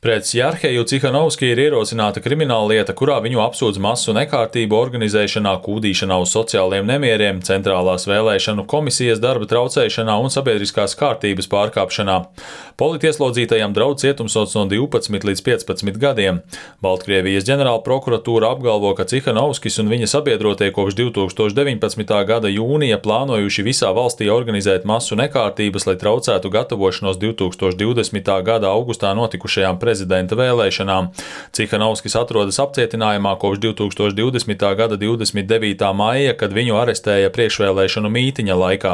Pret Jarheju Cihanovski ir ierosināta krimināllieta, kurā viņu apsūdz masu nekārtību organizēšanā, kūdīšanā uz sociāliem nemieriem, centrālās vēlēšanu komisijas darba traucēšanā un sabiedriskās kārtības pārkāpšanā. Politieslodzītajam draud cietumsods no 12 līdz 15 gadiem. Baltkrievijas ģenerālprokuratūra apgalvo, ka Cihanovskis un viņa sabiedrotie kopš 2019. gada jūnija plānojuši visā valstī organizēt masu nekārtības, lai traucētu gatavošanos 2020. gada augustā notikušajām prezidenta vēlēšanām. Cihanovskis atrodas apcietinājumā kopš 2020. gada 29. maija, kad viņu arestēja priekšvēlēšanu mītiņa laikā.